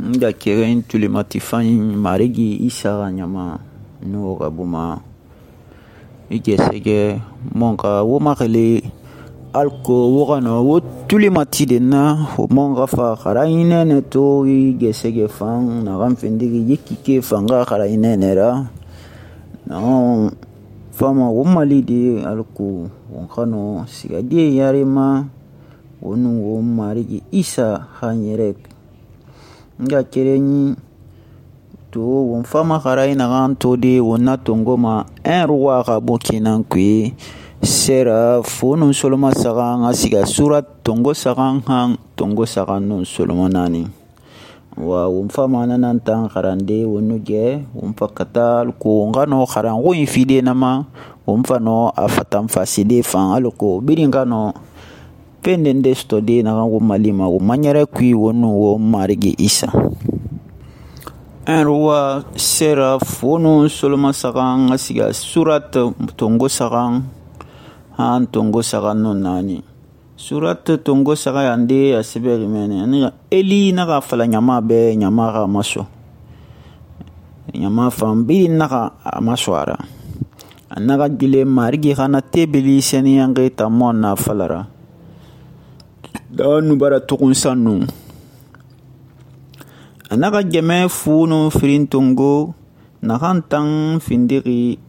nga keren tulimati fanyi marigi Isa xa ɲama n'o xa buma i gesege mon xa wo maxili alko wo xano wo tulimati de na wo mon xa fa xara i nɛnɛ to i gesege fan naxan findigi yi kike fan xa xara i nɛnɛ ra naxan fama wo mali de alko won xano sigadiye yarima wo nun wo marigi Isa xa ɲɛrɛ nga kerenyi to won fama xara i naxan to de won na tongoma un roi xa bo kenan kui sera fo nun soloma saxan a siga surat tongo saxan han tongo saxan nun soloma nani wa won fama nanan tan xarande won nu ge won fa kata alko won xano xaranxo in fide nama won fa no a fatan faside fan alko birin xano penden de sto de naxan wo malima wo maɲɛrɛ kui wo nu wo marigi Isa un roi sera fo nun soloma saxan a siga surat tongo saxan han tongo saxan nun nani surat tongo saxan yande a sɛbɛxi mɛnɛ Eli naxa fala ɲama bɛ ɲama xa maso ɲama fan birin naxa a maso a ra a naxa gile marigi xana tebili sɛniyanxe tamɔ na falara da nu bara tugun sanu a naxa gɛmɛ fu nu firin tongo naxan tan findixi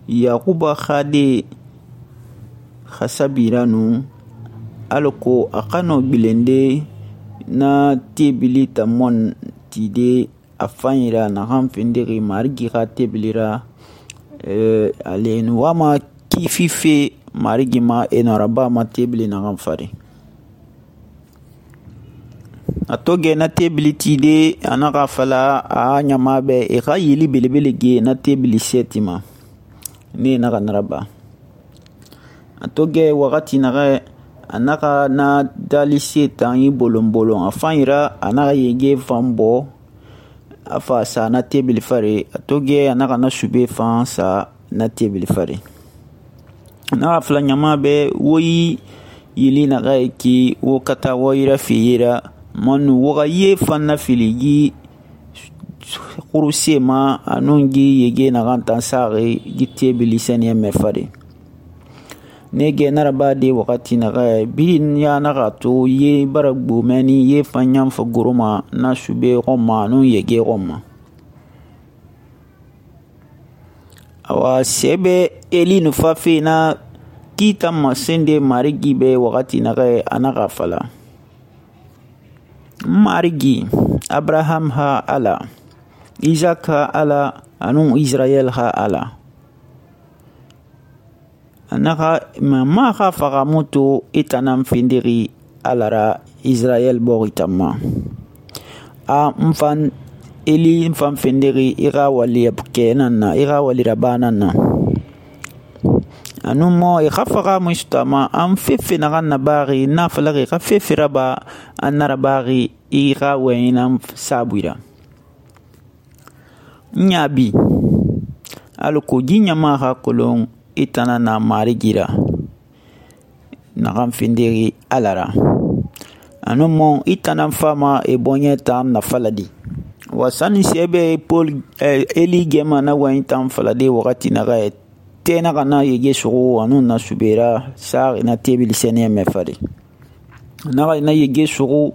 Yakuba xade xa sabira nu alako a xano gbilende na tebili tamɔ tide a fanyira naxan findixi marigi xa tebilira ale nu wama kifi fe marigi ma enaraba ma tebili naxan fari a to gɛ na tebili tide a naxa fala a ɲama bɛ i xa yili belebele ge na tebili sɛti ma ne naxa naraba a to gɛ wagati naxa a naxa na dali se tan i bolon a fan yira a naxa yege fan bɔ a fa sa na tebili fari a to gɛ a naxa na sube fan sa na tebili fari a naxa fala ɲama bɛ wo yi yili naxa ye ki wo kata wo yira fi yira manu waga ye fan na fili gi kuruse ma anun gi yege naxan tan saxi gi tebili sɛniyɛ mɛ fari ne gɛ naraba de wagati naxa birin ya naxa to ye bara gbomɛni ye fan ɲanfa goroma na sube xɔnma anun yege xɔnma awa sɛbɛ Eli nu fafe na kita masende marigi bɛ wagati naxa a naxa fala marigi Abraham ha Ala Isaac ha Ala anun Israel ha Ala anaxa ma xa fagamuto itanan findixi Alara Israel bɔxi tanma a nfan Eli nfan findixi i xa wali kɛ nan na i xa wali raba nan na anu mo i xa fagamu sutama an fefe naxan nabaxi na falaxi xa fefe raba an narabaxi i xa wɛɲinan sabuira ɲabi alako ji ɲama xa kolon i tana na marigira naxan findixi Alara anu mo i tana fama i bɔɲɛ tan nafaladi wa sani sɛbɛ Eli gɛma na wɛɲi tan falade wagati naxa ye tɛ naxa na yege suxu anu na subera saxi na tebili sɛniyɛ mɛ fari naxa na yege suxu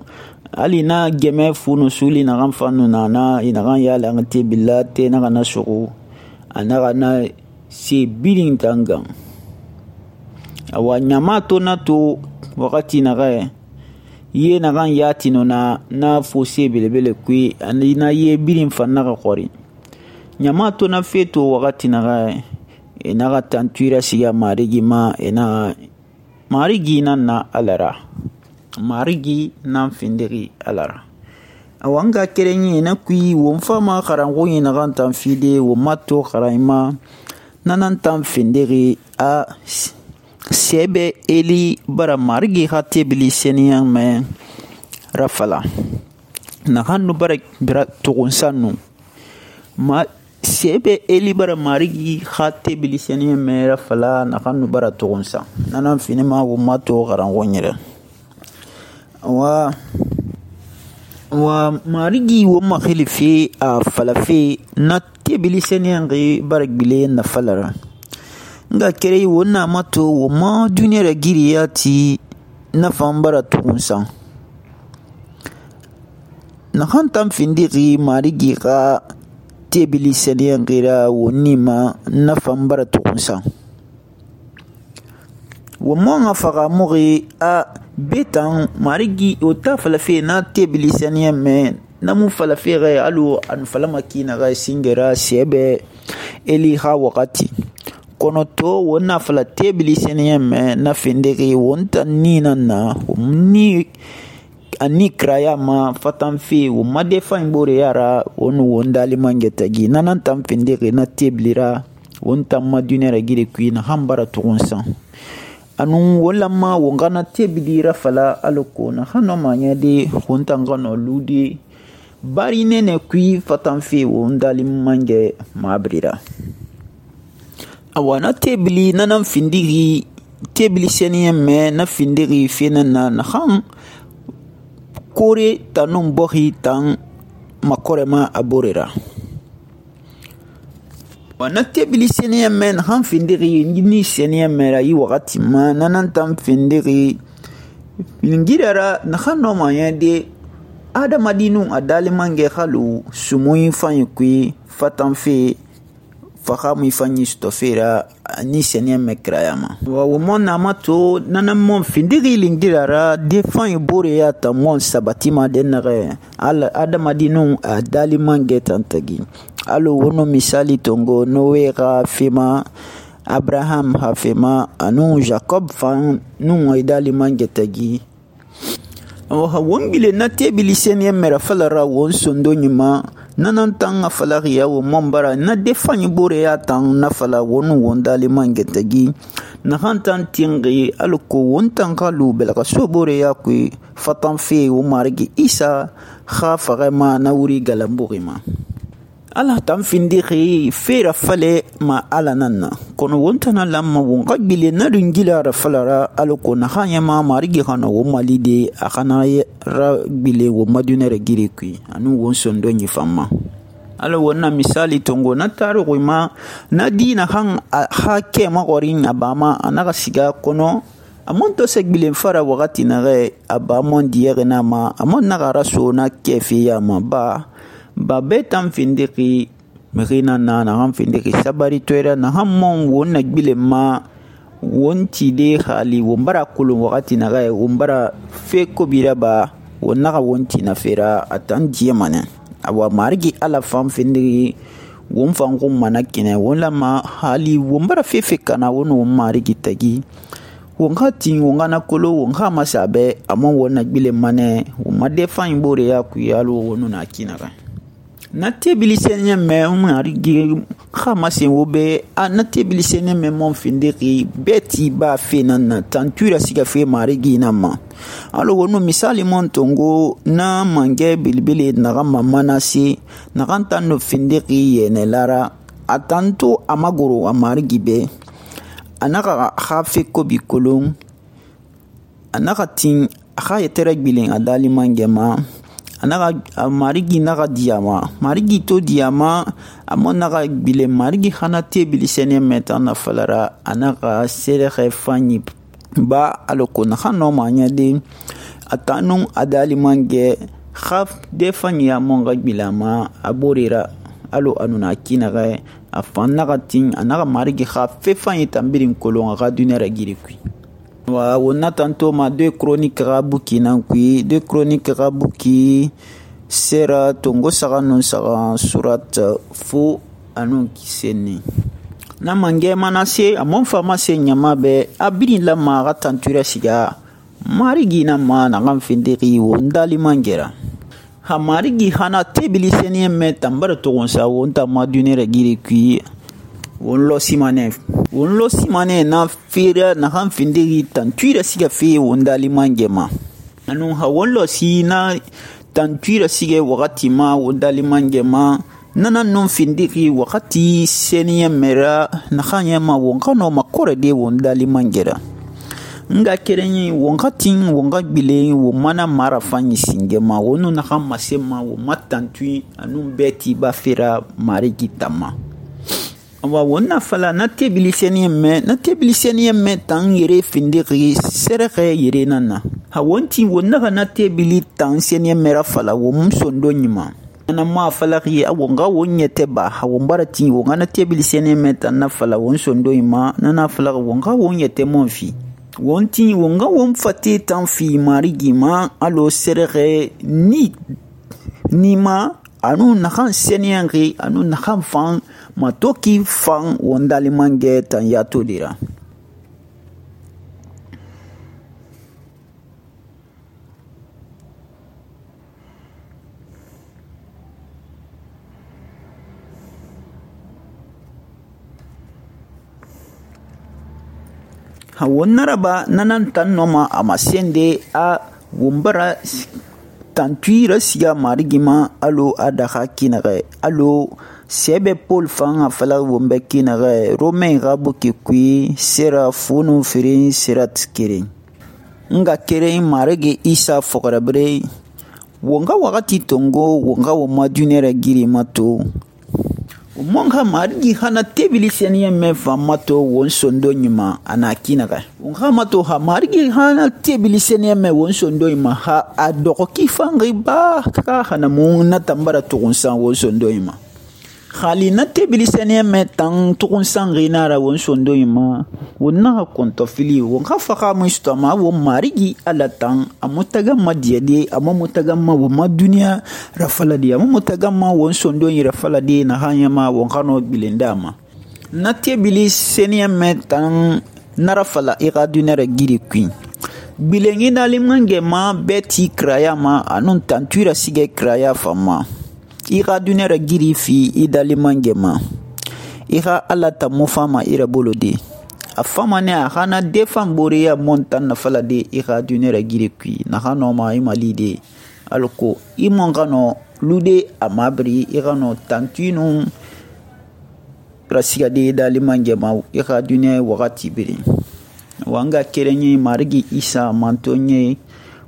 hali na gɛmɛ funu suli naxan fanu na i naxan yala an tebila tɛ naxa na suxu a naxa na se birin tan gan awa ɲama to na to wagati naxa ye naxan yatino na fose belebele kui na ye birin fan naxa xɔri ɲama to na fe to wagati naxa e naxa tantuira siga marigi ma marigi nan na Alara marigi nan findixi Alara awa n ka kerenɲi na kui won fama xaranxo ɲi naxan tan fide won ma to xaranɲima nanan tan findixi a sɛbɛ Eli bara marigi xa tebili sɛniyan mɛ rafala naxan nu bara tugunsan nu sɛbɛ Eli bara marigi xa tebili sɛniyan mɛ rafala naxan nu bara tugunsan nanan finima won ma to xaranxo ɲɛrɛ wa wa marigi wo makhilife a falafe na tebili seniyangi bara gbile na falara nga kere wo na mato wo ma duniya giriya ti na fan bara tukunsan na hantan findiri marigi ka tebili seniyangi ra wo nima na fan bara tukunsan wo mo nga faga mugi a betan marigi o ta falafe na tebili seniyan me na mu falafe ga alu an falama kina ga singera sebe eli ha wakati kono to wona fala tebili seniyan me na findiri wonta ni na ni ani kraya ma fatan fi wo made fan bore yara wonu wondali mangetagi nanan tam findiri na tebilira wonta ma dunera gire kuina hambara tugunsan anu wala ma wongana tebidira fala aloko na hano manya de huntangano ludi bari nene kui fatanfe wondali mange mabrira awana tebili nanan findiri tebili seniyen me na findiri fenana na han kore tanun bohi tan makorema aborera wana tebili seniyan men han findiri ni seniyan mera yi wakati ma nanan tam findiri ngirara na khano manya de adamadinu adalimange khalu sumuyi fanyi kui fatanfe fakhamu fanyi stofera ni seniyan mekrayama wa womona mato nanan mon findiri lingirara de fanyi bore ya ta mon sabatima denare adamadinu adalimange tantagi alo wono misali tongo Noe ga fema Abraham ha fema anu Jacob fan nu idali mangetagi wongile na tebili seniyen mera falara won sondo nyima nanan tanga falariya wo mombara na defanyi bore ya tan na fala wonu wondali mangetagi na hantan tingi alko wontan kalu belaka sobore ya kui fatan fe wo marigi Isa kha farema na wuri galambugima Allah tam findiri fera fale ma ala nanna kono wontana lamma wonga bile na dungila ra falara alko na hanya ma marigi hana wo malide akana ra bile wo madunere giri kui anu won sondo nyi famma ala wonna misali tongo na taro ma na dina han ha ke ma gorin abama anaka siga kono amon to segbile fara wakati na re abamon diere na ma amon na raso na kefi ya ma ba betam findiki merina na han findiki sabari toira na hammon wonna gbile ma wonti de khali wombara kulun wakati na ga wombara fe ko bira ba wonna ga wonti na fera atan jemane awa margi ala fam findiki won fangu manakine wala ma hali wombara fe kana wono margi tagi wonga tin wonga na kolo wonga masabe amon wonna gbile mane woma defan bore ya ku yalo wono na kinaga na tebili seniyen me marigi khama sen wobe na tebili seniyen me mon findiki beti ba fenan na tantura siga fe marigi na ma alo wono misali mon tongo na mange bilbili na gama manasi na ganta no findiki yene lara atanto amagoro amarigi be anaka khafe ko bikolon anaka tin khaye tere bilin adali mangema anaka marigi naga diama marigi to diama amon naga bile marigi khana tebili sene meta na falara anaka sere fanyi ba aloko na khano manya de atanun adali mange khaf de fanyi amon ga bilama aborira alo anuna kinaga afanaga tin anaka marigi khaf fe fanyi tambirin kolon ga dunera girikui wa wonna tanto ma 2 chroniques rabuki nankui 2 chroniques rabuki sera tongo saga non saga surat fu anu kiseni na mange manase amon fama se nyama be abin la ma tantura siga marigi na ma na ngam findiri wondali mangera ha marigi hana tebili seni me tambara to wonsa wonta ma dunere giri kui wonlo simane na fira na han findiri tantuira siga fe wondali mangema anu ha wonlo si na tantuira siga wakati ma wondali mangema nana non findiri wakati seniya mera na khanya ma wonkano makore de wondali mangera nga kerenyi wonga tin wonga bile wo mana mara fanyi singema wonu naxa masema wo matantui anu beti ba fera marigi tama awa wonna fala na tebiliseni me tan yere findiri serxe yere nana ha wonti wonna na tebili tan seni mera fala wo msondo nyima na ma fala ri awonga wonyete ba ha wombarati wonga na tebiliseni me tan na fala won sondo ima na fala wonga wonyete monfi wonti wonga won fate tan fi marigi ma alo serxe ni ma anu nakan seniyangi anu nakan fan matoki fan wondali mange tan yato dira ha wonnaraba nanan tan noma amasende a wombara tantuira siga marigima alo adaha kinare alo sebe Paul fan afala wombe kinare Romain rabuki kui sera funu firin sirat kirin nga kere marige Isa fograbre wonga wakati tongo wonga woma dunere giri mato monga marigi hana tebiliseni me famato won sondo nyima ana kinaka wonga mato ha marigi hana tebiliseni me won sondo nyima ha adoko kifangi ba ka hana mun na tambara tukunsan won sondo nyima khali na tebiliseni me tan tukunsan rinara won sondo nyima wonna konto fili wonga faka mustama won marigi ala tan amutaga madiyade amutaga ma woma dunia rafala dia amutaga ma won sondo nyira rafala dia na hanyama wonkano bilendama na tebiliseni me tan narafala ira dunere giri queen bilengi nalimnge ma beti kraya ma anun tantuira sige kraya fama ira dunere giri fi idalimange ma ira ala tamufama ira bolode afama ne ahana defan boreya montan na fala de ira dunere giri qui na hano ma imalide alko imongano lude amabri ira no tantinu rasiga de dalimange ma ira dunere wakati biri wanga kerenye marigi Isa mantonye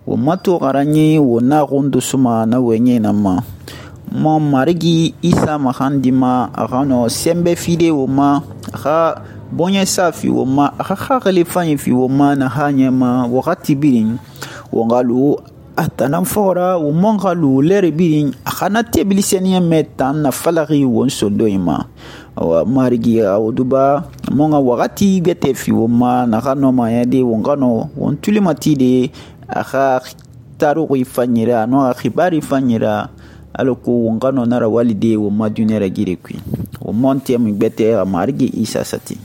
wo mato garanye wo na gondo suma na wenye na ma mo marigi Isa mahandima agano sembe fide wo ma ha bonye safi wo ma ha khale fanyi fi wo ma na hanyama wakati birin wongalu atanan fora wo mongalu lere birin khana tebiliseni metan na falari won sodoima wa marigi awduba monga wakati gete fi wo ma na kano ma yade wongano won tulimati de akha taru ifanyira no akhibari fanyira aloko wongano nara walide wo madunera gire kwi wo monte mi bete marigi Isa sati